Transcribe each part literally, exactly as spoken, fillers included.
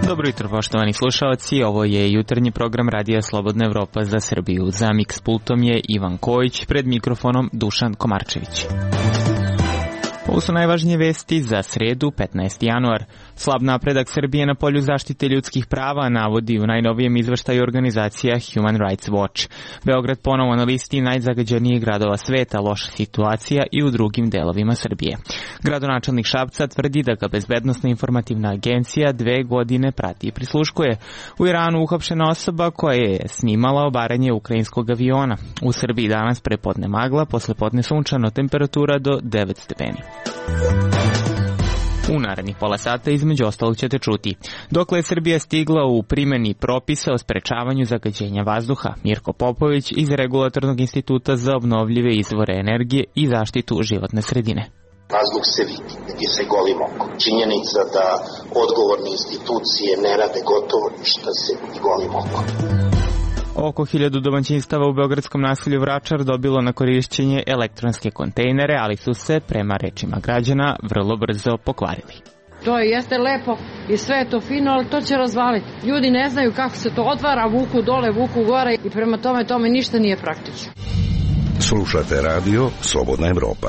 Dobro jutro, poštovani slušalci, ovo je jutarnji program Radija Slobodna Evropa za Srbiju. Za Mix pultom je Ivan Kojić, pred mikrofonom Dušan Komarčević. Ovo su najvažnije vesti za sredu, petnaesti januar. Slab napredak Srbije na polju zaštite ljudskih prava navodi u najnovijem izveštaju organizacija Human Rights Watch. Beograd ponovo na listi najzagađenijih gradova sveta, loša situacija i u drugim delovima Srbije. Gradonačelnik Šapca tvrdi da ga Bezbednosna informativna agencija dve godine prati i prisluškuje. U Iranu uhapšena osoba koja je snimala obaranje ukrajinskog aviona. U Srbiji danas prepodne magla, poslepodne sunčano, temperatura do devet stepeni. U narednih pola sata između ostalog ćete čuti dokle je Srbija stigla u primjeni propisa o sprečavanju zagađenja vazduha. Mirko Popović iz Regulatornog instituta za obnovljive izvore energije i zaštitu životne sredine. Vazduh se vidi, vidi se golim okom. Činjenica da odgovorne institucije ne rade gotovo ništa se vidi golim okom. Oko hiljadu domaćinstava u beogradskom naselju Vračar dobilo na korišćenje elektronske kontejnere, ali su se, prema rečima građana, vrlo brzo pokvarili. To jeste lepo i sve je to fino, ali to će razvaliti. Ljudi ne znaju kako se to otvara, vuku dole, vuku gore i prema tome tome ništa nije praktično. Slušate radio Slobodna Evropa.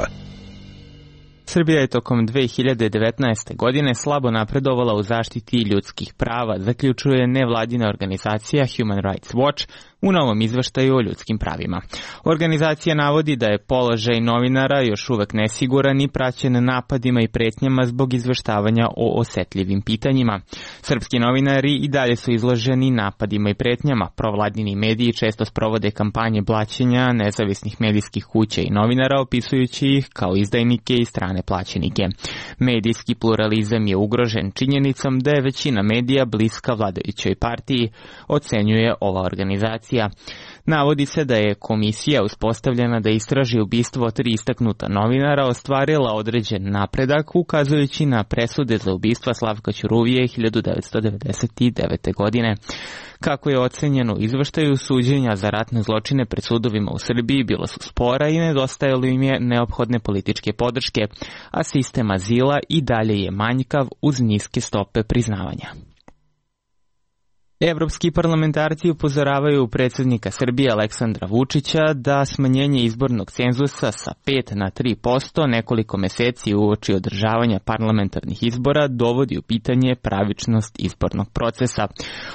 Srbija je tokom dve hiljade devetnaeste. godine slabo napredovala u zaštiti ljudskih prava, zaključuje nevladina organizacija Human Rights Watch u novom izveštaju o ljudskim pravima. Organizacija navodi da je položaj novinara još uvek nesiguran i praćen napadima i pretnjama zbog izveštavanja o osetljivim pitanjima. Srpski novinari i dalje su izloženi napadima i pretnjama. Provladini mediji često sprovode kampanje blaćenja nezavisnih medijskih kuća i novinara, opisujući ih kao izdajnike i strane plaćenike. Medijski pluralizam je ugrožen činjenicom da je većina medija bliska vladajućoj partiji, ocenjuje ova organizacija. Navodi se da je komisija uspostavljena da istraži ubistvo tri istaknuta novinara ostvarila određen napredak, ukazujući na presude za ubistva Slavka Ćuruvije hiljadu devetsto devedeset devete. godine. Kako je ocenjeno u izveštaju, suđenja za ratne zločine pred sudovima u Srbiji bila su spora i nedostajalo im je neophodne političke podrške, a sistem azila i dalje je manjkav uz niske stope priznavanja. Evropski parlamentarci upozoravaju predsjednika Srbije Aleksandra Vučića da smanjenje izbornog cenzusa sa pet na tri posto nekoliko meseci uoči održavanja parlamentarnih izbora dovodi u pitanje pravičnost izbornog procesa.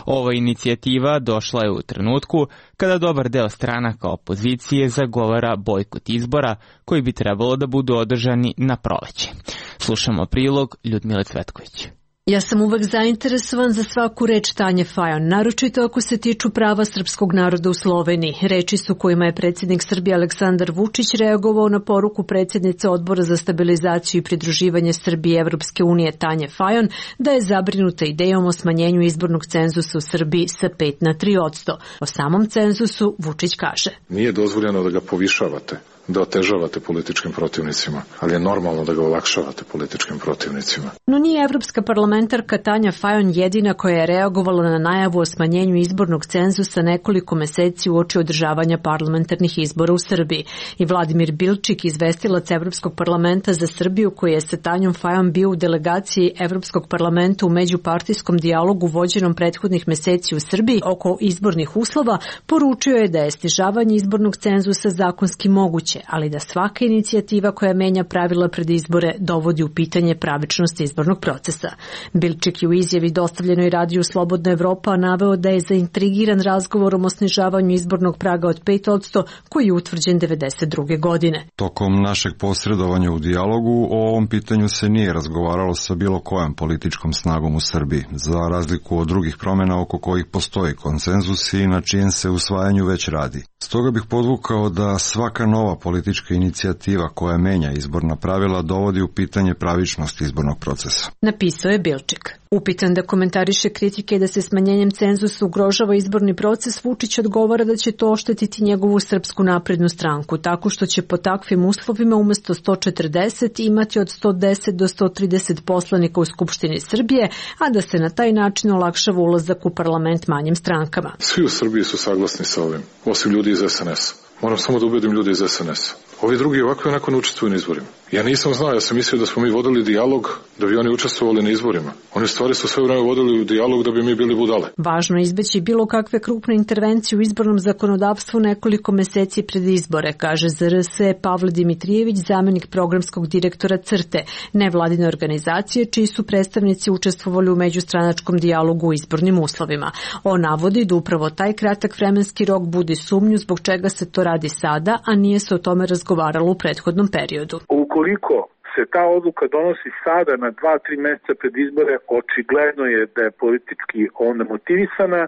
Ova inicijativa došla je u trenutku kada dobar deo stranaka opozicije zagovara bojkot izbora koji bi trebalo da budu održani na proleće. Slušamo prilog Ljudmile Cvetković. Ja sam uvek zainteresovan za svaku reč Tanje Fajon, naročito ako se tiču prava srpskog naroda u Sloveniji. Reči su kojima je predsjednik Srbije Aleksandar Vučić reagovao na poruku predsjednice Odbora za stabilizaciju i pridruživanje Srbije Evropske unije Tanje Fajon da je zabrinuta idejom o smanjenju izbornog cenzusa u Srbiji sa pet na tri posto. O samom cenzusu Vučić kaže: Nije dozvoljeno da ga povišavate, da otežavate političkim protivnicima, ali je normalno da ga olakšavate političkim protivnicima. No nije evropska parlamentarka Tanja Fajon jedina koja je reagovala na najavu o smanjenju izbornog cenzusa nekoliko meseci uoči održavanja parlamentarnih izbora u Srbiji. I Vladimir Bilčik, izvestilac Evropskog parlamenta za Srbiju, koji je sa Tanjom Fajon bio u delegaciji Evropskog parlamenta u međupartijskom dijalogu vođenom prethodnih meseci u Srbiji oko izbornih uslova, poručio je da je snižavanje izbornog cenzusa zakonski moguće, ali da svaka inicijativa koja menja pravila pred izbore dovodi u pitanje pravičnost izbornog procesa. Bilčik je u izjavi dostavljenoj radiju Slobodna Evropa naveo da je zaintrigiran razgovorom o snižavanju izbornog praga od pet posto koji je utvrđen devedeset druge. godine. Tokom našeg posredovanja u dijalogu o ovom pitanju se nije razgovaralo sa bilo kojom političkom snagom u Srbiji, za razliku od drugih promjena oko kojih postoji konsenzus i na čijem se usvajanju već radi. Stoga bih podvukao da svaka nova politička inicijativa koja menja izborna pravila dovodi u pitanje pravičnost izbornog procesa. Napisao je Bilčik. Upitan da komentariše kritike da se smanjenjem cenzusa ugrožava izborni proces, Vučić odgovara da će to oštetiti njegovu Srpsku naprednu stranku, tako što će po takvim uslovima umesto sto četrdeset imati od sto deset do sto trideset poslanika u Skupštini Srbije, a da se na taj način olakšava ulazak u parlament manjim strankama. Svi u Srbiji su saglasni sa ovim, osim ljudi iz es en es a. Moram samo da ubedim ljude iz es en es a. Ovi drugi ovako i onako ne učestvuju na izborima. Ja nisam znao, ja sam mislio da smo mi vodili dijalog da bi oni učestvovali na izborima. Oni stvari su sve vreme vodili dijalog da bi mi bili budale. Važno je izbeći bilo kakve krupne intervencije u izbornom zakonodavstvu nekoliko meseci pred izbore, kaže za er es Pavle Dimitrijević, zamenik programskog direktora CRTE, nevladine organizacije čiji su predstavnici učestvovali u međustranačkom dijalogu u izbornim uslovima. On navodi da upravo taj kratak vremenski rok budi sumnju zbog čega se to radi sada, a nije se o tome razgovaralo u prethodnom periodu. Ukoliko se ta odluka donosi sada na dva, tri meseca pred izbore, očigledno je da je politički onda motivisana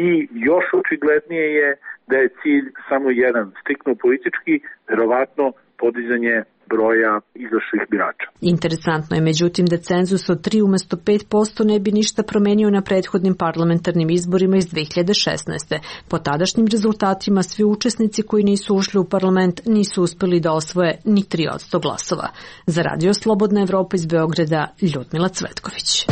i još očiglednije je da je cilj samo jedan, striktno politički, verovatno podizanje broja izašlih birača. Interesantno je međutim da cenzus od tri umesto pet posto ne bi ništa promenio na prethodnim parlamentarnim izborima iz dve hiljade šesnaeste. Po tadašnjim rezultatima svi učesnici koji nisu ušli u parlament nisu uspeli da osvoje ni tri posto glasova. Za Radio Slobodna Evropa iz Beograda, Ljudmila Cvetković.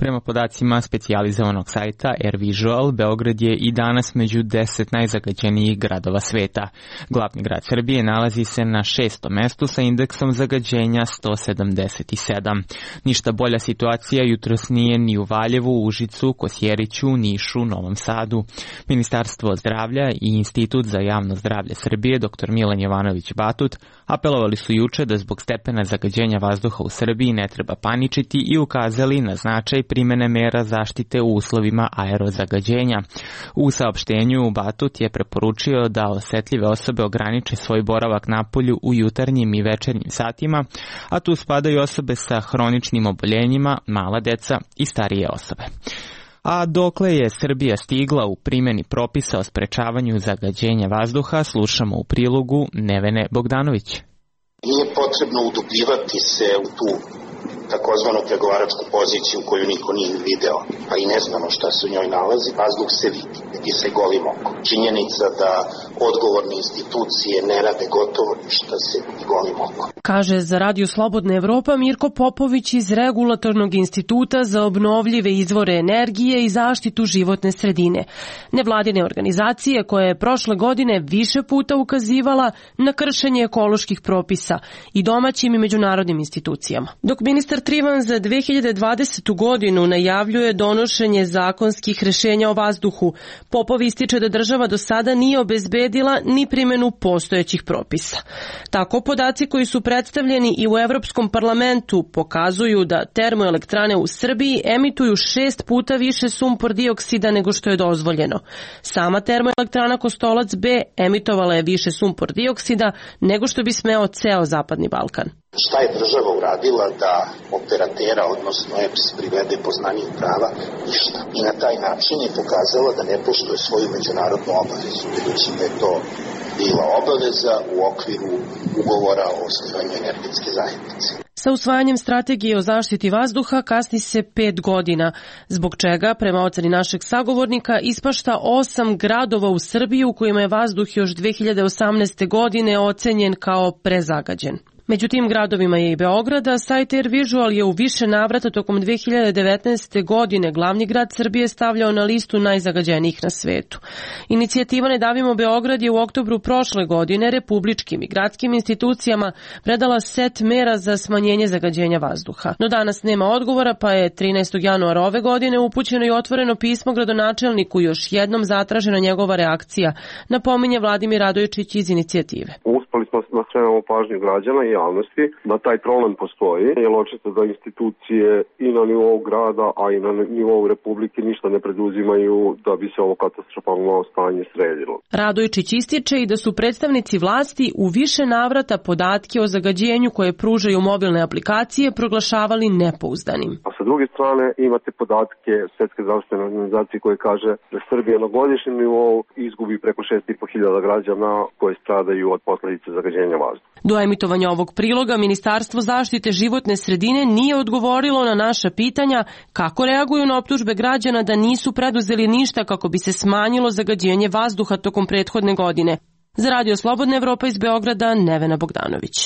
Prema podacima specijalizovanog sajta AirVisual, Beograd je i danas među deset najzagađenijih gradova sveta. Glavni grad Srbije nalazi se na šestom mestu sa indeksom zagađenja sto sedamdeset sedam. Ništa bolja situacija jutros nije ni u Valjevu, Užicu, Kosjeriću, Nišu, Novom Sadu. Ministarstvo zdravlja i Institut za javno zdravlje Srbije, dr Milan Jovanović Batut, apelovali su juče da zbog stepena zagađenja vazduha u Srbiji ne treba paničiti i ukazali na značaj primene mera zaštite u uslovima aerozagađenja. U saopštenju Batut je preporučio da osetljive osobe ograniče svoj boravak napolju u jutarnjim i večernjim satima, a tu spadaju osobe sa hroničnim oboljenjima, mala deca i starije osobe. A dokle je Srbija stigla u primjeni propisa o sprečavanju zagađenja vazduha, slušamo u prilogu Nevene Bogdanović. Nije potrebno udubljivati se u tu takozvanu pregovaračku poziciju koju niko nije video, pa i ne znamo šta se u njoj nalazi. Vazduh se vidi, vidi se golim okom. Činjenica da odgovorne institucije ne rade gotovo ništa se vidi golim okom. Kaže za Radio Slobodna Evropa Mirko Popović iz Regulatornog instituta za obnovljive izvore energije i zaštitu životne sredine. Nevladine organizacije koja je prošle godine više puta ukazivala na kršenje ekoloških propisa i domaćim i međunarodnim institucijama. Dok ministar Trivan za dve hiljade dvadesetu godinu najavljuje donošenje zakonskih rešenja o vazduhu, Popov ističe da država do sada nije obezbedila ni primjenu postojećih propisa. Tako podaci koji su predstavljeni i u Evropskom parlamentu pokazuju da termoelektrane u Srbiji emituju šest puta više sumpor dioksida nego što je dozvoljeno. Sama termoelektrana Kostolac B emitovala je više sumpor dioksida nego što bi smeo ceo Zapadni Balkan. Šta je država uradila da operatera, odnosno E P S, privede poznaniju prava? Ništa. I na taj način je pokazala da ne poštuje svoju međunarodnu obavezu, budući da je to bila obaveza u okviru ugovora o osnivanju energetske zajednice. Sa usvajanjem strategije o zaštiti vazduha kasni se pet godina, zbog čega, prema oceni našeg sagovornika, ispašta osam gradova u Srbiji u kojima je vazduh još dve hiljade osamnaeste. godine ocenjen kao prezagađen. Među tim gradovima je i Beograd, a sajt AirVisual je u više navrata tokom dve hiljade devetnaeste. godine glavni grad Srbije stavljao na listu najzagađenijih na svetu. Inicijativa Ne davimo Beograd je u oktobru prošle godine republičkim i gradskim institucijama predala set mera za smanjenje zagađenja vazduha. No danas nema odgovora, pa je trinaestog januara ove godine upućeno i otvoreno pismo gradonačelniku, još jednom zatražena njegova reakcija, napominje Vladimir Radojičić iz inicijative. Uspeli smo da skrenemo pažnju građana i javnosti da taj problem postoji, jer očito da institucije i na nivou grada, a i na nivou republike ništa ne preduzimaju da bi se ovo katastrofalno stanje sredilo. Radojičić ističe i da su predstavnici vlasti u više navrata podatke o zagađenju koje pružaju mobilne aplikacije proglašavali nepouzdanim. A sa druge strane imate podatke Svetske zdravstvene organizacije koje kaže da Srbija na godišnjem nivou izgubi preko šest i po hiljada građana koje stradaju od posledica zagađenja vazduha. Do emitovanja ovog priloga Ministarstvo zaštite životne sredine nije odgovorilo na naša pitanja kako reaguju na optužbe građana da nisu preduzeli ništa kako bi se smanjilo zagađenje vazduha tokom prethodne godine. Za Radio Slobodna Evropa iz Beograda, Nevena Bogdanović.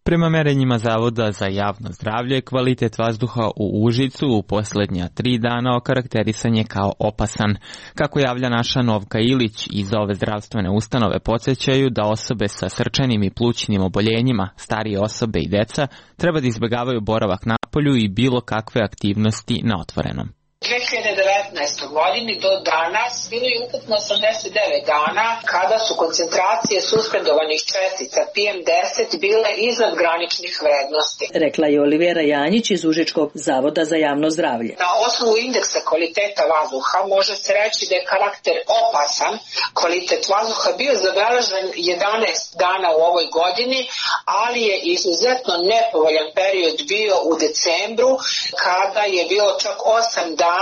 Prema merenjima Zavoda za javno zdravlje, kvalitet vazduha u Užicu u posljednja tri dana okarakterisan je kao opasan. Kako javlja naša Novka Ilić, iz ove zdravstvene ustanove podsjećaju da osobe sa srčanim i plućnim oboljenjima, starije osobe i deca, treba da izbjegavaju boravak napolju i bilo kakve aktivnosti na otvorenom. dve hiljade devetnaestoj. godini do danas bilo je ukupno osamdeset devet dana kada su koncentracije suspendovanih čestica P M deset bile iznad graničnih vrednosti. Rekla je Olivera Janjić iz Užičkog zavoda za javno zdravlje. Na osnovu indeksa kvaliteta vazduha može se reći da je karakter opasan kvalitet vazduha bio zabeležen jedanaest dana u ovoj godini, ali je izuzetno nepovoljan period bio u decembru kada je bilo čak osam dana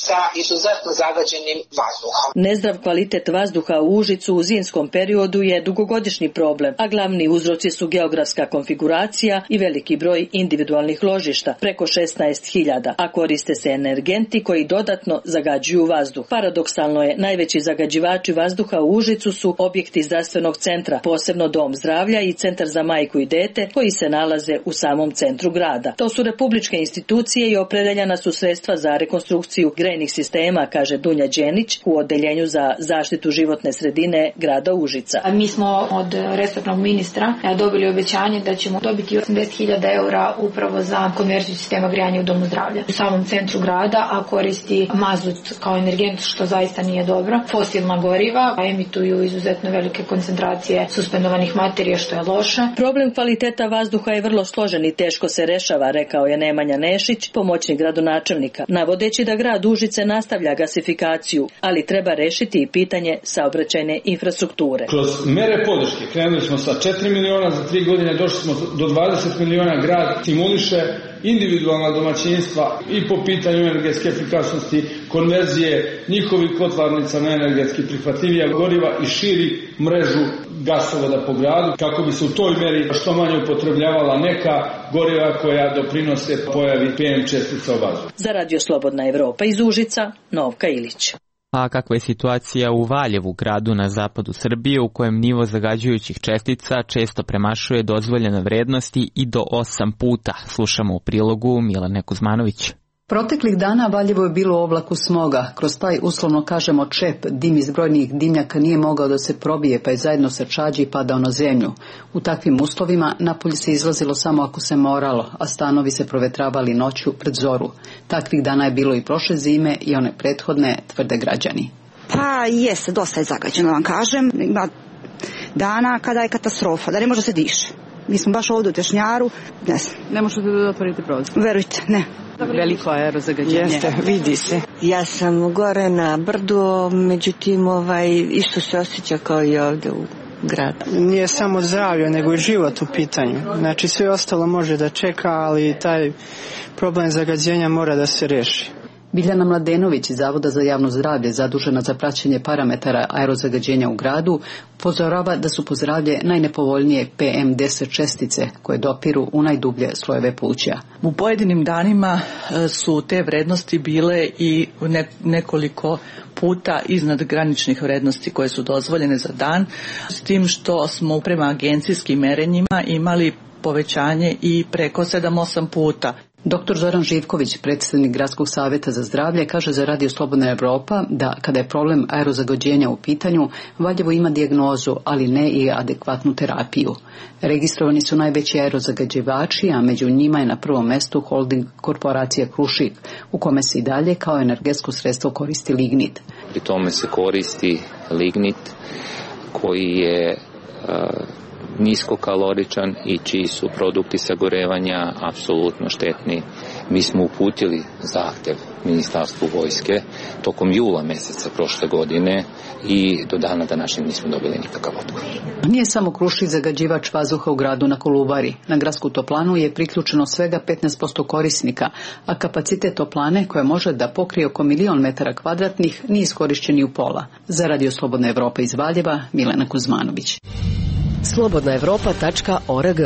sa izuzetno zagađenim vazduhom. Nezdrav kvalitet vazduha u Užicu u zimskom periodu je dugogodišnji problem, a glavni uzroci su geografska konfiguracija i veliki broj individualnih ložišta, preko šesnaest hiljada, a koriste se energenti koji dodatno zagađuju vazduh. Paradoksalno je, najveći zagađivači vazduha u Užicu su objekti zdravstvenog centra, posebno Dom zdravlja i Centar za majku i dete, koji se nalaze u samom centru grada. To su republičke institucije i opredeljena su sredstva za rekonstrukciju grejnih sistema, kaže Dunja Đenić u Odeljenju za zaštitu životne sredine grada Užica. Mi smo od resornog ministra dobili obećanje da ćemo dobiti osamdeset hiljada eura upravo za konverziju sistema grejanja u Domu zdravlja. U samom centru grada, a koristi mazut kao energent, što zaista nije dobro. Fosilna goriva emituju izuzetno velike koncentracije suspendovanih materija, što je loše. Problem kvaliteta vazduha je vrlo složen i teško se rešava, rekao je Nemanja Nešić, pomoćnik gradonačelnika, navodeći da grad Užice nastavlja gasifikaciju, ali treba rešiti i pitanje saobraćajne infrastrukture. Kroz mere podrške krenuli smo sa četiri miliona, za tri godine došli smo do dvadeset miliona. Grad stimuliše individualna domaćinstva i po pitanju energetske efikasnosti, konverzije njihovih kotlarnica na energetski prihvatljivija goriva i širi mrežu gasovoda po gradu, kako bi se u toj meri što manje upotrebljavala neka goriva koja doprinose pojavi P M čestica u vazduhu. Za Radio Slobodna Evropa iz Užica, Novka Ilić. A kakva je situacija u Valjevu, gradu na zapadu Srbije, u kojem nivo zagađujućih čestica često premašuje dozvoljene vrednosti i do osam puta? Slušamo u prilogu Milane Kuzmanović. Proteklih dana Valjevo je bilo u oblaku smoga. Kroz taj, uslovno kažemo, čep, dim iz brojnih dimnjaka nije mogao da se probije, pa je zajedno sa čađi padao na zemlju. U takvim uslovima napolje se izlazilo samo ako se moralo, a stanovi se provetravali noću pred zoru. Takvih dana je bilo i prošle zime i one prethodne, tvrde građani. Pa jeste, dosta je zagađeno, vam kažem. Ima dana kada je katastrofa, da ne može se diše. Mi smo baš ovdje u Tešnjaru, ne znam. Ne možete da otvorite prozor? Verujte, ne. Veliko aerozagađenje. Jeste, vidi se. Ja sam gore na brdu, međutim ovaj, isto se osjeća kao i ovdje u gradu. Nije samo zdravlje, nego i život u pitanju. Znači sve ostalo može da čeka, ali taj problem zagađenja mora da se reši. Biljana Mladenović iz Zavoda za javno zdravlje, zadužena za praćenje parametara aerozagađenja u gradu, upozorava da su po zdravlje najnepovoljnije P M deset čestice koje dopiru u najdublje slojeve pluća. U pojedinim danima su te vrednosti bile i nekoliko puta iznad graničnih vrednosti koje su dozvoljene za dan, s tim što smo prema agencijskim merenjima imali povećanje i preko sedam osam puta. Doktor Zoran Živković, predstavnik Gradskog savjeta za zdravlje, kaže za Radio Slobodna Evropa da kada je problem aerozagađenja u pitanju, Valjevo ima dijagnozu, ali ne i adekvatnu terapiju. Registrovani su najveći aerozagađivači, a među njima je na prvom mestu holding korporacija Krušik, u kome se i dalje kao energetsko sredstvo koristi lignit. Pri tome se koristi lignit koji je uh, niskokaloričan i čiji su produkti sagorevanja apsolutno štetni. Mi smo uputili zahtev Ministarstvu vojske tokom jula meseca prošle godine i do dana današnjeg nismo dobili nikakav odgovor. Nije samo Krušik zagađivač vazduha u gradu na Kolubari. Na gradsku toplanu je priključeno svega petnaest posto korisnika, a kapacitet toplane, koja može da pokrije oko milion metara kvadratnih, nije iskorišćen ni u pola. Za Radio Slobodna Evropa iz Valjeva, Milena Kuzmanović. slobodna evropa tačka org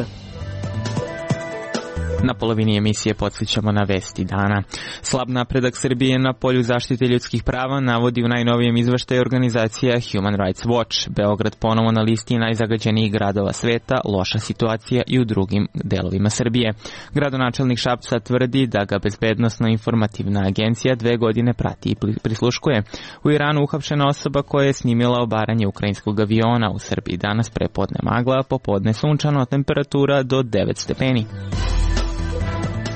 Na polovini emisije podsjećamo na vesti dana. Slab napredak Srbije na polju zaštite ljudskih prava navodi u najnovijem izveštaju organizacija Human Rights Watch. Beograd ponovo na listi najzagađenijih gradova sveta, loša situacija i u drugim delovima Srbije. Gradonačelnik Šapca tvrdi da ga Bezbednosno-informativna agencija dve godine prati i prisluškuje. U Iranu uhapšena osoba koja je snimila obaranje ukrajinskog aviona. U Srbiji danas prepodne magla, popodne sunčano, temperatura do devet stepeni.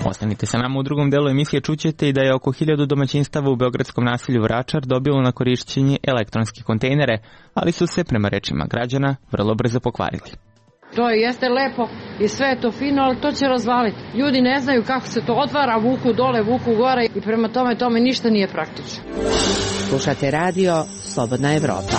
Ostanite sa nama u drugom delu emisije, čućete i da je oko hiljadu domaćinstava u beogradskom naselju Vračar dobilo na korišćenje elektronske kontejnere, ali su se, prema rečima građana, vrlo brzo pokvarili. To jeste lepo i sve je to fino, ali to će razvaliti. Ljudi ne znaju kako se to otvara, vuku dole, vuku gore i prema tome tome ništa nije praktično. Slušate radio Slobodna Evropa.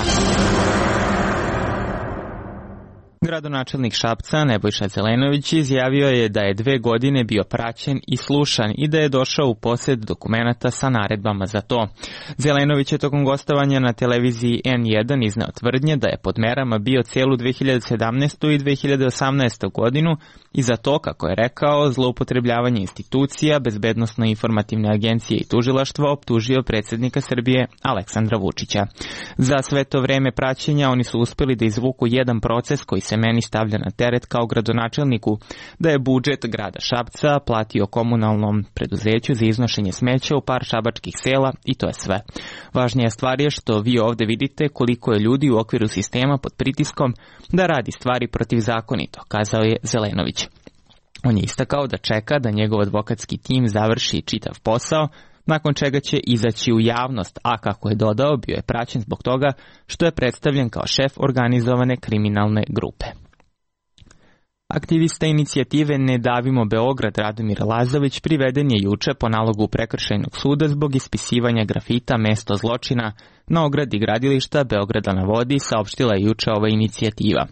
Gradonačelnik Šapca Nebojša Zelenović izjavio je da je dve godine bio praćen i slušan i da je došao u posjed dokumenata sa naredbama za to. Zelenović je tokom gostovanja na televiziji en jedan izneo tvrdnje da je pod merama bio cijelu dve hiljade sedamnaestu i dve hiljade osamnaestu godinu i za to, kako je rekao, zloupotrebljavanje institucija, Bezbednosno-informativne agencije i tužilaštva optužio predsjednika Srbije Aleksandra Vučića. Za sve to vreme praćenja oni su uspjeli da izvuku jedan proces koji se meni stavlja na teret kao gradonačelniku, da je budžet grada Šapca platio komunalnom preduzeću za iznošenje smeća u par šabačkih sela i to je sve. Važnija stvar je što vi ovdje vidite koliko je ljudi u okviru sistema pod pritiskom da radi stvari protivzakonito, kazao je Zelenović. On je istakao da čeka da njegov advokatski tim završi čitav posao, nakon čega će izaći u javnost, a kako je dodao, bio je praćen zbog toga što je predstavljen kao šef organizovane kriminalne grupe. Aktivista inicijative Ne davimo Beograd Radomir Lazović priveden je juče po nalogu prekršajnog suda zbog ispisivanja grafita Mesto zločina na ogradi gradilišta Beograda na vodi, saopštila je juče ova inicijativa.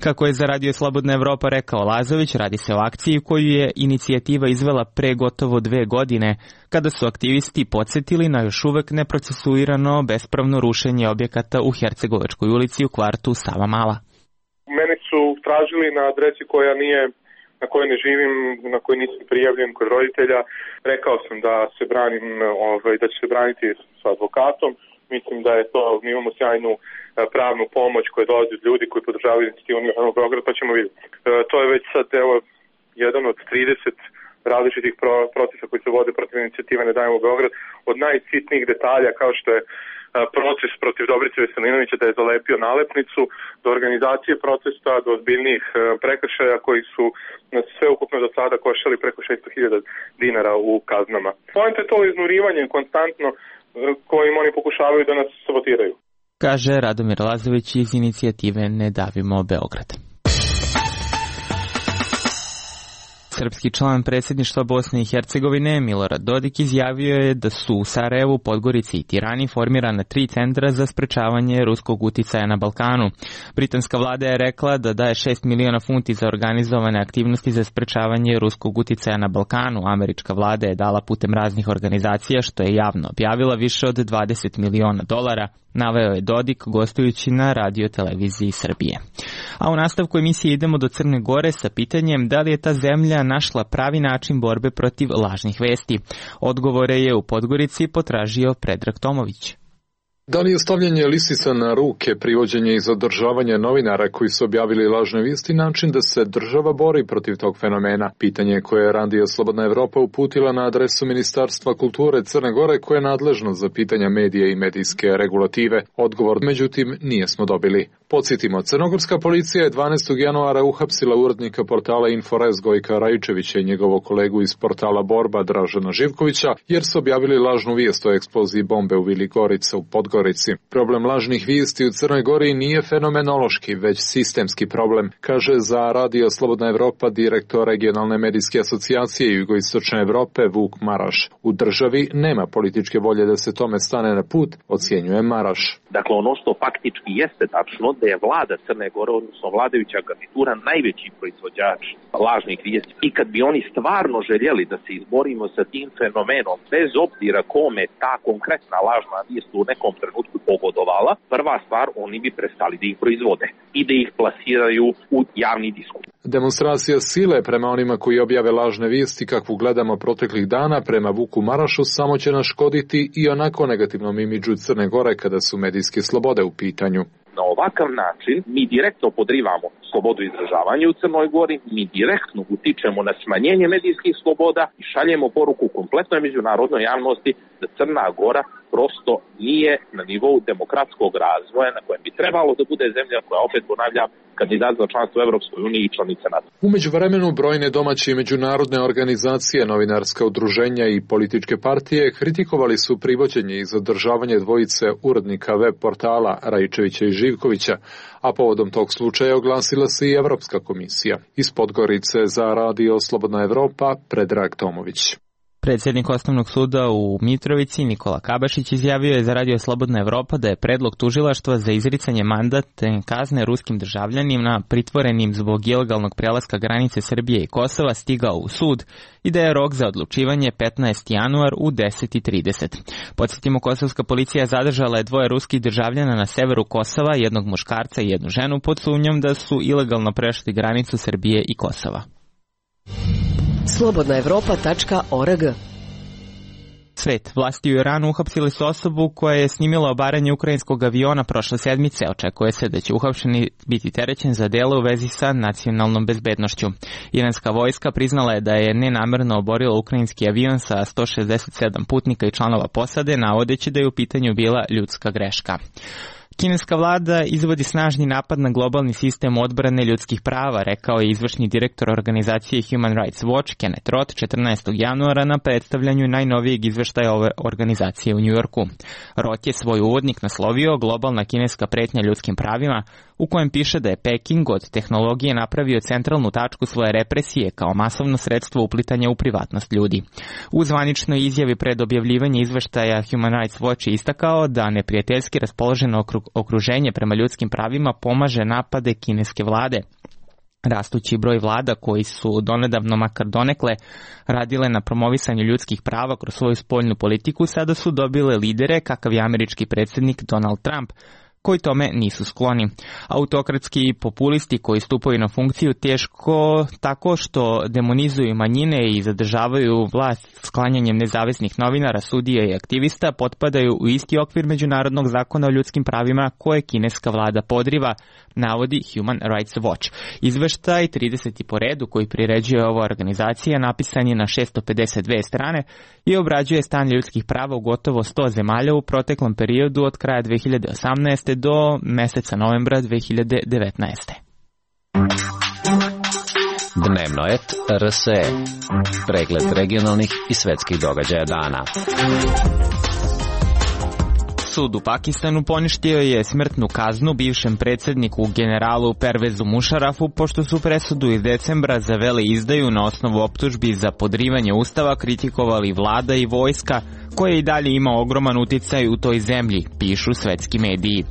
Kako je za Radio Slobodna Evropa rekao Lazović, radi se o akciji koju je inicijativa izvela pre gotovo dve godine, kada su aktivisti podsjetili na još uvek neprocesuirano bespravno rušenje objekata u Hercegovačkoj ulici u kvartu Savamala. Mene su tražili na adresi koja nije, na kojoj ne živim, na kojoj nisam prijavljen kod roditelja. Rekao sam da se branim, ovaj, da će se braniti sa advokatom. Mislim da je to, mi imamo sjajnu pravnu pomoć koja dolazi od ljudi koji podržavaju inicijativu Ne davimo Beograd, pa ćemo vidjeti. E, to je već sad, evo, jedan od trideset različitih pro, procesa koji se vode protiv inicijative Ne davimo Beograd, od najsitnijih detalja kao što je proces protiv Dobrice Veselinovića da je zalepio nalepnicu, do organizacije procesa, do ozbiljnijih prekršaja koji su nas sve ukupno do sada koštali preko šesto hiljada dinara u kaznama. Point je to iznurivanje konstantno kojim oni pokušavaju da nas sabotiraju. Kaže Radomir Lazović iz inicijative Ne davimo Beograd. Srpski član predsjedništva Bosne i Hercegovine Milorad Dodik izjavio je da su u Sarajevu, Podgorici i Tirani formirana tri centra za sprečavanje ruskog uticaja na Balkanu. Britanska vlada je rekla da daje šest miliona funti za organizovane aktivnosti za sprečavanje ruskog uticaja na Balkanu. Američka vlada je dala putem raznih organizacija, što je javno objavila, više od dvadeset miliona dolara, naveo je Dodik gostujući na radio televiziji Srbije. A u nastavku emisije idemo do Crne Gore sa pitanjem da li je ta zemlja našla pravi način borbe protiv lažnih vesti. Odgovore je u Podgorici potražio Predrag Tomović. Da li je stavljanje lisica na ruke, privođenje i zadržavanje novinara koji su objavili lažne vijesti način da se država bori protiv tog fenomena? Pitanje koje je Radio Slobodna Evropa uputila na adresu Ministarstva kulture Crne Gore koje je nadležno za pitanja medija i medijske regulative. Odgovor, međutim, nijesmo dobili. Podsjetimo, crnogorska policija je dvanaestog januara uhapsila urednika portala Inforez Gojka Rajčevića i njegovog kolegu iz portala Borba Dražena Živkovića jer su objavili lažnu vijest o eksploziji bombe u Vili Gorica u Podgorici. Problem lažnih vijesti u Crnoj Gori nije fenomenološki, već sistemski problem, kaže za Radio Slobodna Evropa direktor regionalne medijske asocijacije Jugoistočne Evrope Vuk Maraš. U državi nema političke volje da se tome stane na put, ocjenjuje Maraš. Dakle, ono što faktički jeste tačno da je vlada Crne Gore, odnosno vladajuća garnitura, najveći proizvođač lažnih vijesti. I kad bi oni stvarno željeli da se izborimo sa tim fenomenom, bez obzira kome ta konkretna lažna vijest u nekom trenutku pogodovala, prva stvar, oni bi prestali da ih proizvode i da ih plasiraju u javni diskurs. Demonstracija sile prema onima koji objave lažne vijesti kakvu gledamo proteklih dana prema Vuku Marašu samo će naškoditi i onako negativnom imidžu Crne Gore kada su medijske slobode u pitanju. Na ovakav način mi direktno podrivamo slobodu izražavanja u Crnoj Gori, mi direktno utičemo na smanjenje medijskih sloboda i šaljemo poruku kompletnoj međunarodnoj javnosti da Crna Gora prosto nije na nivou demokratskog razvoja na kojem bi trebalo da bude zemlja koja, opet ponavljam, kandidat za članstvo u Evropskoj uniji i članica NATO. U međuvremenu brojne domaće i međunarodne organizacije, novinarska udruženja i političke partije kritikovali su privođenje i zadržavanje dvojice urednika web portala Raičevića i Živkovića, a povodom tog slučaja oglasila se i Evropska komisija. Iz Podgorice za Radio Slobodna Evropa, Predrag Tomović. Predsjednik Osnovnog suda u Mitrovici Nikola Kabašić izjavio je za Radio Slobodna Evropa da je predlog tužilaštva za izricanje mandatne kazne ruskim državljanima pritvorenim zbog ilegalnog prelaska granice Srbije i Kosova stigao u sud i da je rok za odlučivanje petnaesti januar u deset i trideset. Podsjetimo, kosovska policija zadržala je dvoje ruskih državljana na severu Kosova, jednog muškarca i jednu ženu, pod sumnjom da su ilegalno prešli granicu Srbije i Kosova. slobodna evropa tačka org. Svet. Vlasti u Iranu uhapsili su osobu koja je snimila obaranje ukrajinskog aviona prošle sedmice. Očekuje se da će uhapšeni biti terećen za delo u vezi sa nacionalnom bezbednošću. Iranska vojska priznala je da je nenamerno oborila ukrajinski avion sa sto šezdeset sedam putnika i članova posade, navodeći da je u pitanju bila ljudska greška. Kineska vlada izvodi snažni napad na globalni sistem odbrane ljudskih prava, rekao je izvršni direktor organizacije Human Rights Watch Kenneth Roth četrnaestog januara na predstavljanju najnovijeg izveštaja ove organizacije u Njujorku. Roth je svoj uvodnik naslovio Globalna kineska pretnja ljudskim pravima, u kojem piše da je Peking od tehnologije napravio centralnu tačku svoje represije kao masovno sredstvo uplitanja u privatnost ljudi. U zvaničnoj izjavi pred objavljivanje izveštaja Human Rights Watch je istakao da neprijateljski raspoloženo okruženje prema ljudskim pravima pomaže napade kineske vlade. Rastući broj vlada koji su donedavno makar donekle radile na promovisanju ljudskih prava kroz svoju spoljnu politiku sada su dobile lidere kakav je američki predsjednik Donald Trump, koji tome nisu skloni. Autokratski populisti koji stupaju na funkciju teško tako što demonizuju manjine i zadržavaju vlast sklanjanjem nezavisnih novinara, sudija i aktivista potpadaju u isti okvir međunarodnog zakona o ljudskim pravima koje kineska vlada podriva, navodi Human Rights Watch. Izveštaj trideseti po redu koji priređuje ova organizacija napisan je na šesto pedeset dve strane i obrađuje stanje ljudskih prava u gotovo sto zemalja u proteklom periodu od kraja dve hiljade osamnaeste do meseca novembra dve hiljade devetnaeste. Dnevno et R S E. Pregled regionalnih i svetskih događaja dana. Sud u Pakistanu poništio je smrtnu kaznu bivšem predsjedniku generalu Pervezu Mušarafu pošto su presudu iz decembra za veleizdaju na osnovu optužbi za podrivanje ustava kritikovali vlada i vojska koje i dalje ima ogroman uticaj u toj zemlji, pišu svetski mediji.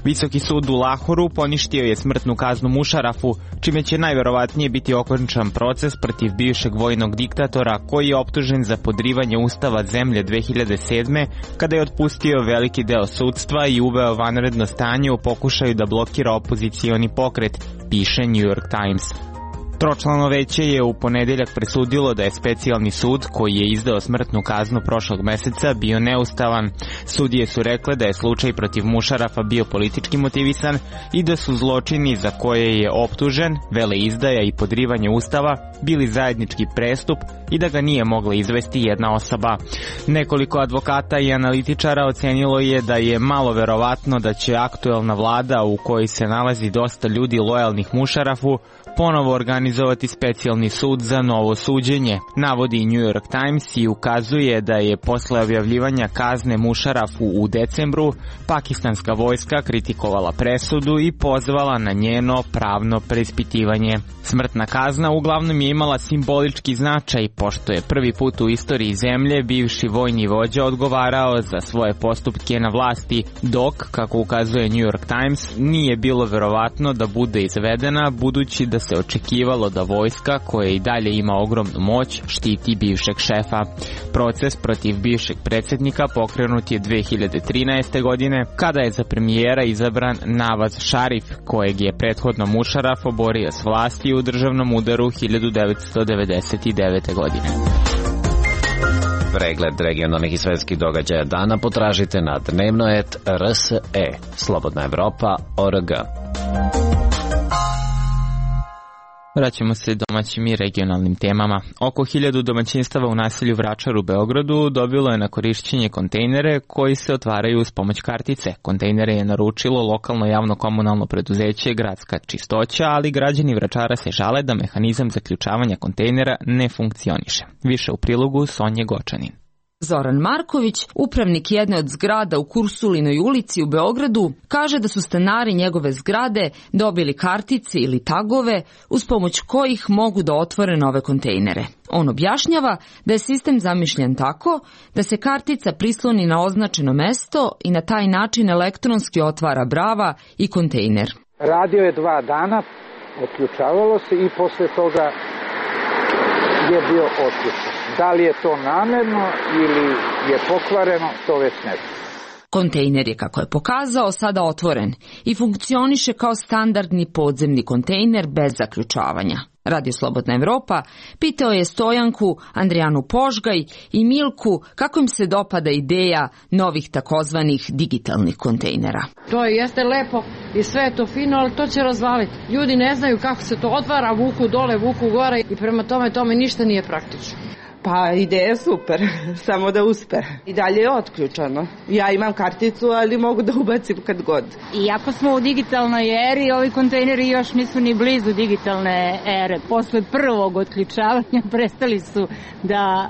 Visoki sud u Lahoru poništio je smrtnu kaznu Mušarafu, čime će najverovatnije biti okončan proces protiv bivšeg vojnog diktatora koji je optužen za podrivanje ustava zemlje dve hiljade sedme kada je otpustio veliki deo sudstva i uveo vanredno stanje u pokušaju da blokira opozicioni pokret, piše New York Times. Tročlano veće je u ponedeljak presudilo da je specijalni sud koji je izdao smrtnu kaznu prošlog meseca bio neustavan. Sudije su rekle da je slučaj protiv Mušarafa bio politički motivisan i da su zločini za koje je optužen, veleizdaja i podrivanje ustava, bili zajednički prestup i da ga nije mogla izvesti jedna osoba. Nekoliko advokata i analitičara ocenilo je da je malo verovatno da će aktuelna vlada u kojoj se nalazi dosta ljudi lojalnih Mušarafu ponovo organizovati specijalni sud za novo suđenje, navodi New York Times i ukazuje da je posle objavljivanja kazne Mušarafu u decembru pakistanska vojska kritikovala presudu i pozvala na njeno pravno preispitivanje. Smrtna kazna uglavnom je imala simbolički značaj, pošto je prvi put u istoriji zemlje bivši vojni vođa odgovarao za svoje postupke na vlasti, dok, kako ukazuje New York Times, nije bilo verovatno da bude izvedena budući da se očekivalo naglašavalo da vojska, koja i dalje ima ogromnu moć, štiti bivšeg šefa. Proces protiv bivšeg predsjednika pokrenut je dve hiljade trinaeste. godine, kada je za premijera izabran Nawaz Sharif, kojeg je prethodno Musharraf oborio s vlasti u državnom udaru hiljadu devetsto devedeset devete. godine. Pregled regionalnih i svetskih događaja dana potražite na dnevnoet R S E, Slobodna Evropa, O R G. Vraćamo se domaćim i regionalnim temama. Oko hiljadu domaćinstava u naselju Vračar u Beogradu dobilo je na korišćenje kontejnere koji se otvaraju uz pomoć kartice. Kontejnere je naručilo lokalno javno komunalno preduzeće Gradska čistoća, ali građani Vračara se žale da mehanizam zaključavanja kontejnera ne funkcioniše. Više u prilogu Sonje Gočanin. Zoran Marković, upravnik jedne od zgrada u Kursulinoj ulici u Beogradu, kaže da su stanari njegove zgrade dobili kartice ili tagove uz pomoć kojih mogu da otvore nove kontejnere. On objašnjava da je sistem zamišljen tako da se kartica prisloni na označeno mesto i na taj način elektronski otvara brava i kontejner. Radio je dva dana, otključavalo se i posle toga je bio otključen. Da li je to namerno ili je pokvareno, to već ne znam. Kontejner je, kako je pokazao, sada otvoren i funkcioniše kao standardni podzemni kontejner bez zaključavanja. Radio Slobodna Evropa pitao je Stojanku, Andrijanu Požgaj i Milku kako im se dopada ideja novih takozvanih digitalnih kontejnera. To jeste lepo i sve je to fino, ali to će razvaliti. Ljudi ne znaju kako se to otvara, vuku dole, vuku gore i prema tome tome ništa nije praktično. Pa ideja je super, samo da uspe. I dalje je otključano. Ja imam karticu, ali mogu da ubacim kad god. Iako smo u digitalnoj eri, ovi kontejneri još nisu ni blizu digitalne ere. Posle prvog otključavanja prestali su da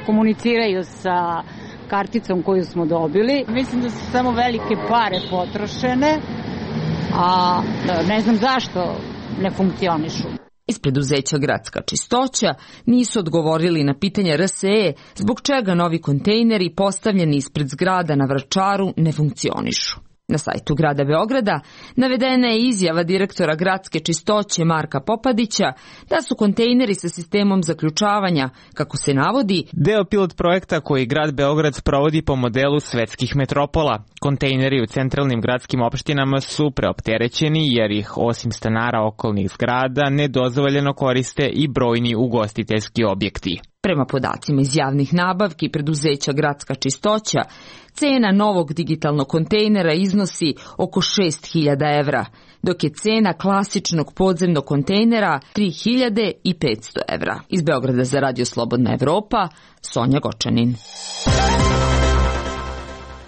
komuniciraju sa karticom koju smo dobili. Mislim da su samo velike pare potrošene, a ne znam zašto ne funkcionišu. Iz preduzeća Gradska čistoća nisu odgovorili na pitanje R S E zbog čega novi kontejneri postavljeni ispred zgrada na Vračaru ne funkcionišu. Na sajtu grada Beograda navedena je izjava direktora Gradske čistoće Marka Popadića da su kontejneri sa sistemom zaključavanja, kako se navodi, deo pilot projekta koji grad Beograd sprovodi po modelu svetskih metropola. Kontejneri u centralnim gradskim opštinama su preopterećeni jer ih osim stanara okolnih zgrada nedozvoljeno koriste i brojni ugostiteljski objekti. Prema podacima iz javnih nabavki preduzeća Gradska čistoća, cena novog digitalnog kontejnera iznosi oko šest hiljada evra, dok je cena klasičnog podzemnog kontejnera tri hiljade petsto evra. Iz Beograda za Radio Slobodna Evropa, Sonja Gočanin.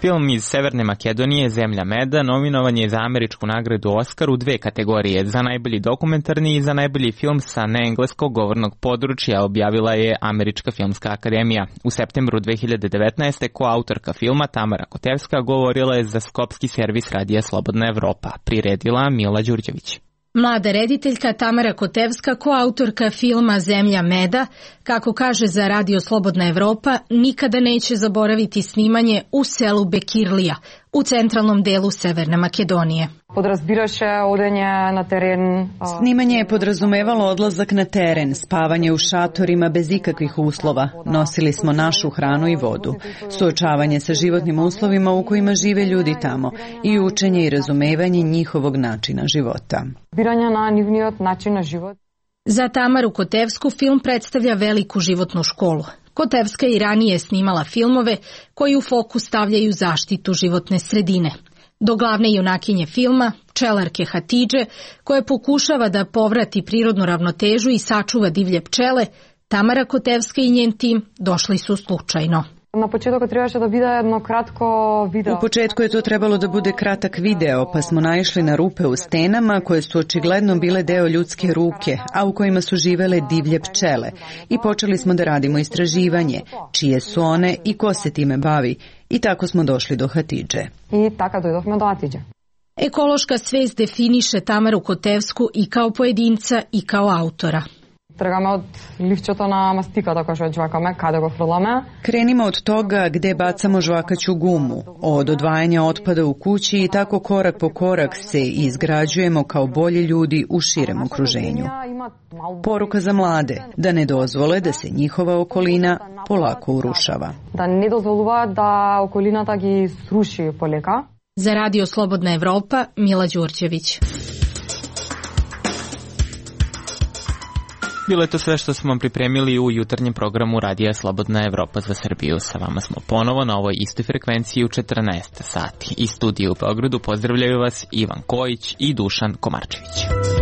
Film iz Severne Makedonije, Zemlja meda, nominovan je za američku nagradu Oskar u dve kategorije, za najbolji dokumentarni i za najbolji film sa neengleskog govornog područja, objavila je Američka filmska akademija. U septembru dve hiljade devetnaeste. koautorka filma Tamara Kotevska govorila je za skopski servis Radija Slobodna Evropa, priredila Mila Đurđević. Mlada rediteljka Tamara Kotevska, koautorka filma Zemlja meda, kako kaže za Radio Slobodna Evropa, nikada neće zaboraviti snimanje u selu Bekirlija, u centralnom delu Severne Makedonije. Snimanje je podrazumevalo odlazak na teren, spavanje u šatorima bez ikakvih uslova. Nosili smo našu hranu i vodu. Suočavanje sa životnim uslovima u kojima žive ljudi tamo i učenje i razumevanje njihovog načina života. Za Tamaru Kotevsku film predstavlja veliku životnu školu. Kotevska i ranije snimala filmove koji u fokus stavljaju zaštitu životne sredine. Do glavne junakinje filma, pčelarke Hatidže, koja pokušava da povrati prirodnu ravnotežu i sačuva divlje pčele, Tamara Kotevska i njen tim došli su slučajno. Na početku trebaše da bude jedno kratko video. U početku je to trebalo da bude kratak video, pa smo naišli na rupe u stenama koje su očigledno bile deo ljudske ruke, a u kojima su živele divlje pčele. I počeli smo da radimo istraživanje, čije su one i ko se time bavi. I tako smo došli do Hatidže. I tako došli do Hatidže. Ekološka svest definiše Tamaru Kotevsku i kao pojedinca i kao autora. Tragаме od ливчето на мастиката која што жвакаме, каде го фрламе. Krenimo od toga gde bacamo žvakaću gumu, od odvajanja otpada u kući i tako korak po korak se izgrađujemo kao bolji ljudi u širem okruženju. Poruka za mlade, da ne dozvole da se njihova okolina polako urušava. Da ne dozvolуваат da околината ги сруши полека. За Radio Slobodna Evropa, Mila Đurđević. Bilo je to sve što smo vam pripremili u jutarnjem programu Radija Slobodna Evropa za Srbiju. Sa vama smo ponovo na ovoj istoj frekvenciji u četrnaest sati. Iz studija u Beogradu pozdravljaju vas Ivan Kojić i Dušan Komarčević.